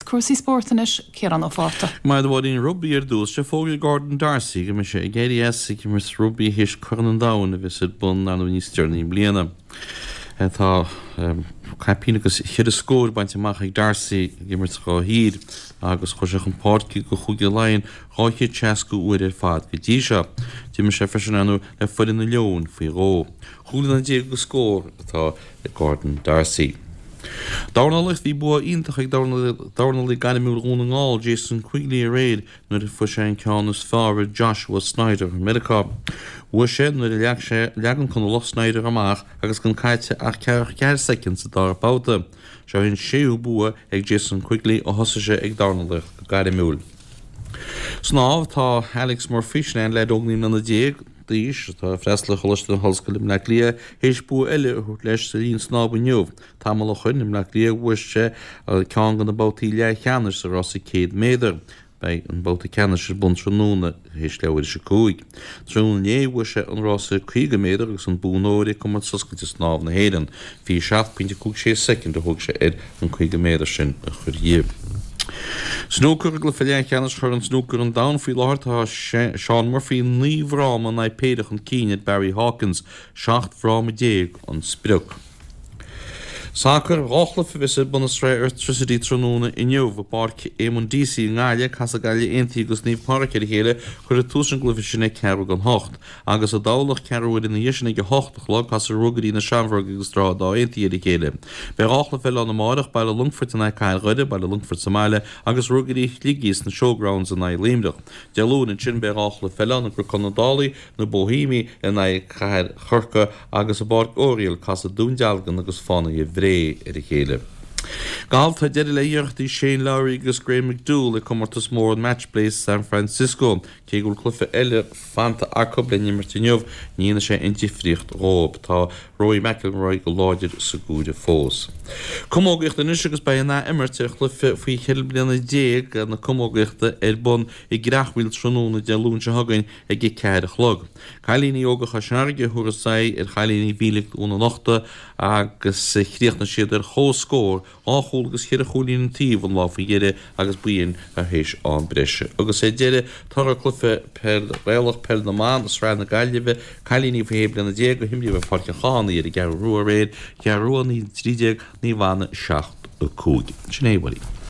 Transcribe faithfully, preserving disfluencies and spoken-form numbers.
cúrsaí spóirt anois Ciarán Ó Fátharta. Mar bhíonn rugbaí ar dtús sé fógraithe ag Gordon D'Arcy go mbeidh sé ag éirí as ag imirt rugbaí théis Corn an Domhain a bheas ar bun ann níos deireanaí i mbliana. Tá caipín agus ceithre scór bainte amach ag D'Arcy ag imirt dá thír agus chuaigh sé chun páirce do Chúige Laighean dhá chéad seasca uair ar fad go dtí seo. D'imir sé freisin ann le foireann na Leon faoi dhó. Chúig bliana déag agus scór atá ag Gordon D'Arcy. Dornálaíocht bhí bua iontach ag dornálaí gairmiúil Dhún na nGall Jason Quigley aréir nuair a fuair sé an ceann is fearr ar Joshua Snyder i Meiriceá. Bhuaigh sé nuair a leag sé leag an Conallach Snyder amach agus gan caite ach ceathracha ceathair soicind sa dara babhta. Seo an séú bua ag Jason Quigley ó thosaigh sé ag dornálaíocht go gairmiúil. Snámh tá Alex Murphy sin an leaid óg naoi mbliana déag d'aois atá ag freastal ar Choláiste na hOllscoile i mBleá Cliath théis bua eile a thabhairt leis sa líon snámh inniu. Tamall ó shin i mBleá Cliath bhuaigh sé ceann de na babhtaí leathcheannais sa rása céad méadar. Beidh an babhta ceannais ar bun tráthnóna théis leathuair théis a cúig. Tráthnóna inné bhuaigh sé an rása caoga méadar agus an bonn óir ag Comórtas Oscailte Snámh na hÉireann. Fiche seacht pointe cúig sé soicind a thóg sé air an caoga méadar sin a chur dhe. Snúcar i gcluiche leathcheannais Chorn Snúcar an Domhain faoi láthair tá Shaun Murphy naoi bhfráma in aghaidh péire chun cinn ar Barry Hawkins, seacht bhfráma déag an sprioc. Sacar dhá chluiche a bheas ar bun i Sraith Airtricity tráthnóna inniu i bPáirc Eamonn Deacy i nGaillimh, casfaidh Gaillimh Aontaithe agus Naomh Pádraig ar a chéile, cuirfear tús an gcluiche sin ag ceathrú don hocht. Agus i dTamhlacht ceathrú uaire ina dhiaidh sin ag a hocht a chlog, casfaidh Ruagairí na Seamróige agus Droichead Átha Aontaithe ar a chéile. Beidh dhá chluiche eile ann amárach, Baile Longfoirt in aghaidh Cathair Dhoire, Baile Longfoirt sa mbaile, agus Ruagairí Shligigh sna Showgrounds in aghaidh Luimneach. Dé Luain ansin beidh dhá chluiche eile ann, i gCnoc na Dálaí, na Bohemiaigh in aghaidh Cathair Chorcaí agus i bPáirc Oriel, casfaidh Dún Dealgan agus Fánaithe Bhré ar a chéile. Galf tá deireadh le hiarrachtaí Shane Lowry agus Graham McDowell ag comórtas mór an Match Play San Francisco. Cé go bhfuil cluiche eile fanta acu le n-imirt inniu, ní dhéanfaidh sé aon difríocht dhóibh. Tá Rory McIlroy go láidir sa gcomhaireamh fós. Camógaíocht anois agus beidh an ath-imirt ar chluiche faoi cheithre bliana déag na camógaíochta ar bun i gCreachmhaoil tráthnóna Dé Luain seo chugainn ag a ceathair a chlog. Cailíní óga Chois Fharraige a thabharfas aghaidh ar chailíní Mhílic Dhún an Uchta agus chríochnaigh siad ar chomhscór dhá chúl agus cheithre chúilín an taobh an lá faoi dheireadh agus ba shin tar éis am breise. Agus ar deireadh, toradh cluiche peil Ghaelach peil na mban i Sraith na Gaillimhe, cailíní faoi shé bliana déag a himríodh ar Pháirc an Chathánaigh ar an gCeathrú Rua aréir, Ceathrú Rua naoi trí déag, Naomh Anna seacht a cúig. Sin é, a Mháirín.